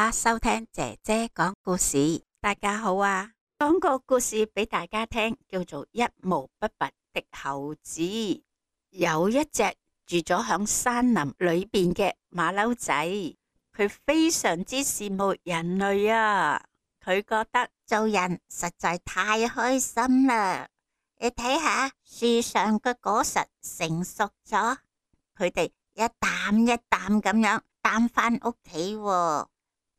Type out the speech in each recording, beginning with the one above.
家收聽姐姐講故事。大家好啊，講個故事俾大家聽，叫做一毛不拔的猴子。有一隻住咗響山林裏邊嘅馬騮仔，佢非常之羨慕人類啊，佢覺得做人實在太開心啦。你睇下樹上嘅果實成熟咗，佢哋一擔一擔咁樣擔返屋企喎。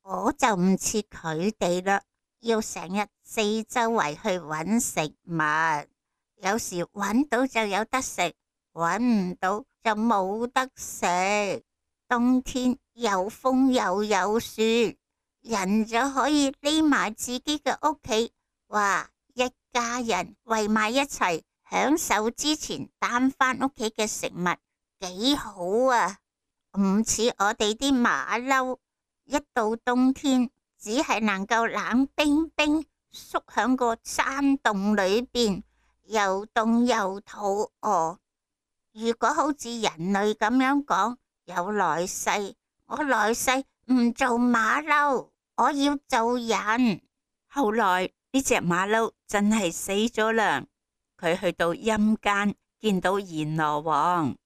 我就唔似佢哋啦，要成日四周圍去揾食物，有時揾到就有得食，揾唔到就冇得食。冬天有風又有雪，人就可以匿埋自己嘅屋企，哇！一家人圍埋一齊享受之前擔返屋企嘅食物，幾好啊！唔似我哋啲馬騮，一到冬天只係能夠冷冰冰縮響個山洞裏邊，又凍又肚餓。如果好似人類咁樣講，有來世，我來世唔做馬騮，我要做人。後來呢隻馬騮真係死咗啦，佢去到陰間見到閻羅王，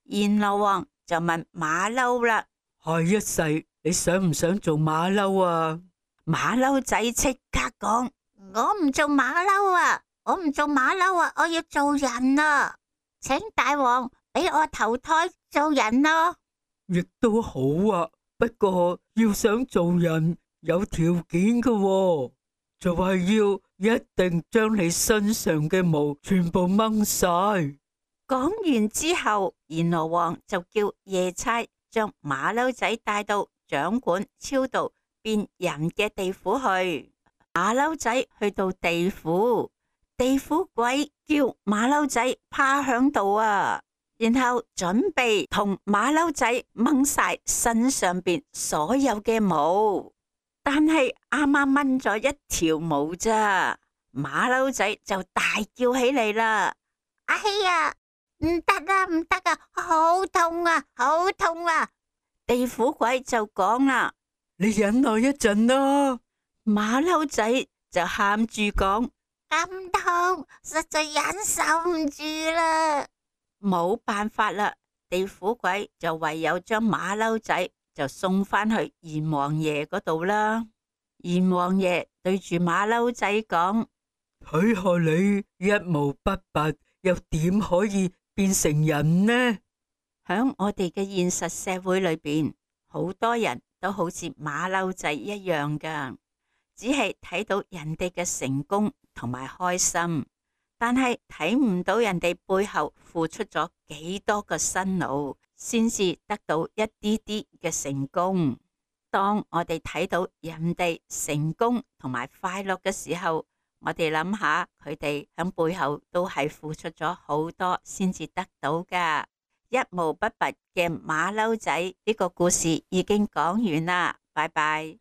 閻羅王就問馬騮啦：下一世你想唔想做馬騮啊？馬騮仔即刻講：我唔做馬騮啊，我唔做馬騮啊，我要做人啊！請大王俾我投胎做人咯。亦都好啊，不過要想做人有條件嘅喎，就係要一定將你身上嘅毛全部掹晒。講完之後，閻羅王就叫夜叉將馬騮仔帶到掌管超度變人嘅地府去。馬騮仔去到地府，地府鬼叫馬騮仔趴響度啊，然後準備同馬騮仔掹晒身上邊所有嘅毛，但係啱啱掹咗一條毛咋，馬騮仔就大叫起嚟啦！哎呀，唔得啊，唔得啊，好痛啊，好痛啊！地府鬼就講啦：你忍耐一陣啦。馬騮仔就喊住講：咁痛，實在忍受唔住啦！冇辦法啦，地府鬼就唯有將馬騮仔就送返去閻王爺嗰度啦。閻王爺對住馬騮仔講：睇下你一毛不拔，又點可以變成人呢？響我哋嘅現實社會裏邊，好多人都好似馬騮仔一樣噶，只係睇到人哋嘅成功同埋開心，但係睇唔到人哋背後付出咗幾多個辛勞，先至得到一啲啲嘅成功。當我哋睇到人哋成功同埋快樂嘅時候，我哋諗下佢哋響背後都係付出咗好多先至得到噶。一毛不拔嘅馬騮仔呢個故事已經講完啦，拜拜。